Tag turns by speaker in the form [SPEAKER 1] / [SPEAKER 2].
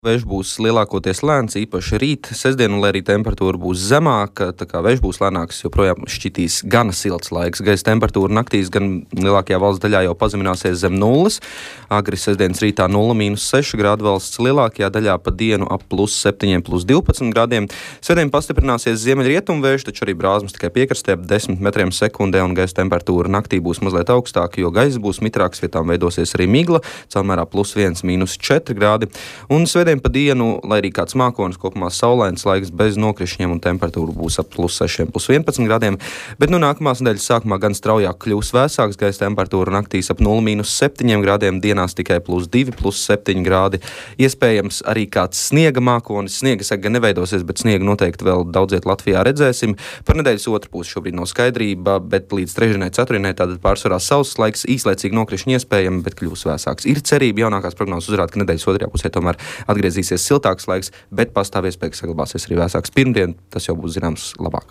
[SPEAKER 1] Vējš būs lielākoties lēns, īpaši rīt, sestdienu, lai arī temperatūra būs zemāka, tā kā vējš būs lēnāks, joprojām šķitīs gana silts laiks. Gaisa temperatūra naktīs gan lielākajā valsts daļā jau pazemināsies zem nulles. Agri sestdienas rītā 0–6 grādi, valsts lielākajā daļā pa dienu ap +7, +12 grādiem. Svētdien pastiprināsies ziemeļrietumu vējš, taču arī brāzmas tikai piekrastē ap 10 metriem sekundē, un gaisa temperatūra naktī būs mazliet augstāka, jo gaiss būs mitrāks, vietām veidosies arī migla, caurmērā +1, -4 grādi. Un svētdien pa dienu, lai arī kāds mākonis, kopumā saulains laiks bez nokrišņiem un temperatūra būs ap +6, +11 grādiem, bet nākamās nedēļas sākumā gan straujāk kļūs vēsāks, gaisa temperatūra naktīs ap 0–7 grādiem, dienās tikai +2, +7 grādi. Iespējams arī kāds sniega mākonis, sniega seka gan neveidosies, bet sniegu noteikti vēl daudziet Latvijā redzēsim. Par nedēļas otru pusi šobrīd nav skaidrība, bet līdz trešdienai, ceturtdienai tātad pārsvarā sauss laiks, īslaicīgi nokrišņi iespējami, bet kļūs vēsāks. Ir cerība, jaunākās prognozes uzrāda, ka nedēļas otrajā pusē tomēr atgriezīsies siltāks laiks, bet pastāv iespēja, ka saglabāsies arī vēsāks pirmdien, tas jau būs zināms labāk.